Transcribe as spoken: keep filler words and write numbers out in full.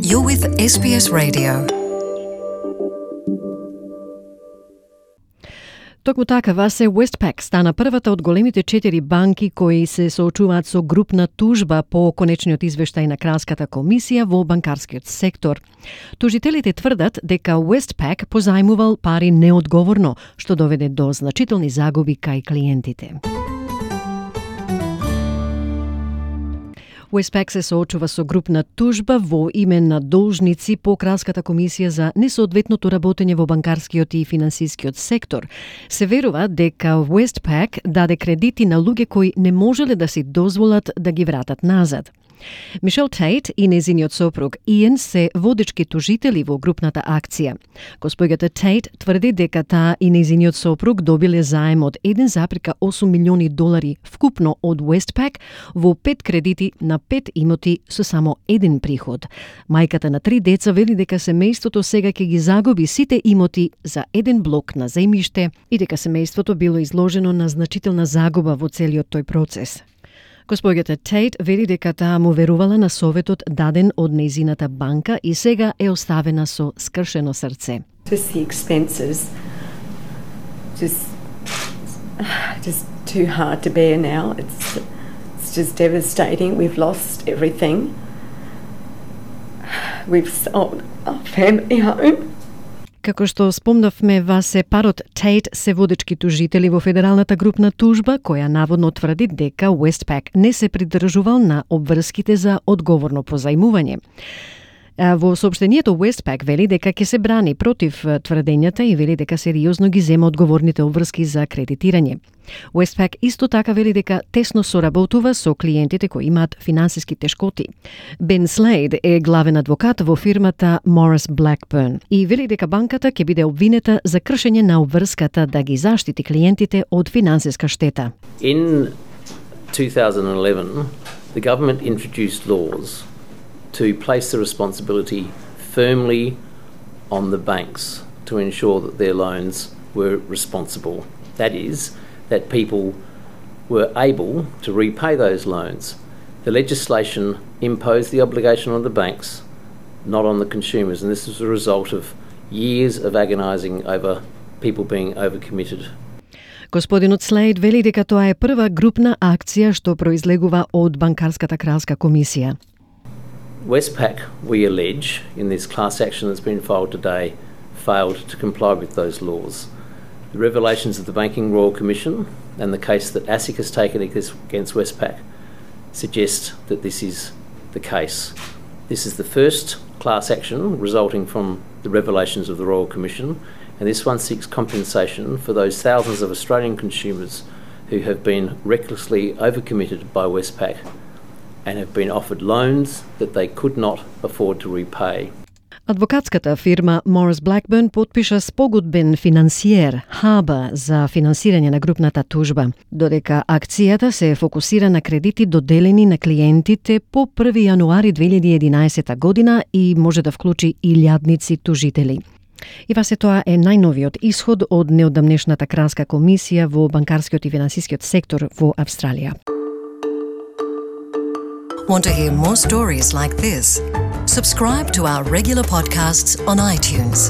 You're with Ес Би Ес Radio. Токму така, Васе, Westpac стана првата од големите четири банки кои се соочуваат со групна тужба по конечниот извештај на Кралската комисија во банкарскиот сектор. Тужителите тврдат дека Westpac позајмувал пари неодговорно, што доведе до значителни загуби кај клиентите. Westpac се соочува со групна тужба во име на должници по Кралската комисија за несоодветното работење во банкарскиот и финансискиот сектор. Се верува дека Westpac даде кредити на луѓе кои не можеле да си дозволат да ги вратат назад. Мишел Тейт и незиниот сопруг Иен се водечки тужители во групната акција. Госпоѓата Тейт тврди дека таа и незиниот сопруг добиле заем од еден зарез и осум милиони долари вкупно од Westpac во пет кредити на пет имоти со само еден приход. Мајката на три деца вели дека семејството сега ќе ги загуби сите имоти за еден блок на земјиште и дека семејството било изложено на значителна загуба во целиот тој процес. Госпоѓата Тейт вели дека таа му верувала на советот даден од нејзината банка и сега е оставена со скршено срце. Just the expenses, just, just too hard to bear now. It's, it's just devastating. We've lost everything. We've sold our family home. Како што спомнавме, Васе, парот Тейт се водечки тужители во федералната групна тужба, која наводно тврди дека Westpac не се придржувал на обврските за одговорно позајмување. Во соопштението Westpac вели дека ќе се брани против тврдењата и вели дека сериозно ги зема одговорните обврски за кредитирање. Westpac исто така вели дека тесно соработува со клиентите кои имаат финансиски тешкоти. Бен Слейд е главен адвокат во фирмата Morris Blackburn и вели дека банката ќе биде обвинета за кршење на обврската да ги заштити клиентите од финансиска штета. In two thousand eleven, the government introduced laws to place the responsibility firmly on the banks to ensure that their loans were responsible. That is, that people were able to repay those loans. The legislation imposed the obligation on the banks, not on the consumers, and this was a result of years of agonising over people being overcommitted. Господинот Слейд вели дека тоа е прва групна акција што произлегува од банкарската кралска комисија. Westpac, we allege, in this class action that's been filed today, failed to comply with those laws. The revelations of the Banking Royal Commission and the case that ASIC has taken against Westpac suggest that this is the case. This is the first class action resulting from the revelations of the Royal Commission, and this one seeks compensation for those thousands of Australian consumers who have been recklessly overcommitted by Westpac and have been offered loans that they could not afford to repay. Адвокатската фирма Morris Blackburn потпиша спогодбен финансиер Хаба за финансирање на групната тужба, додека акцијата се фокусира на кредити доделени на клиентите по први јануари две илјади и единаесета година и може да вклучи илјадници тужители. И васе тоа е најновиот исход од неодамнешната кралска комисија во банкарскиот и финансискиот сектор во Австралија. Want to hear more stories like this? Subscribe to our regular podcasts on iTunes.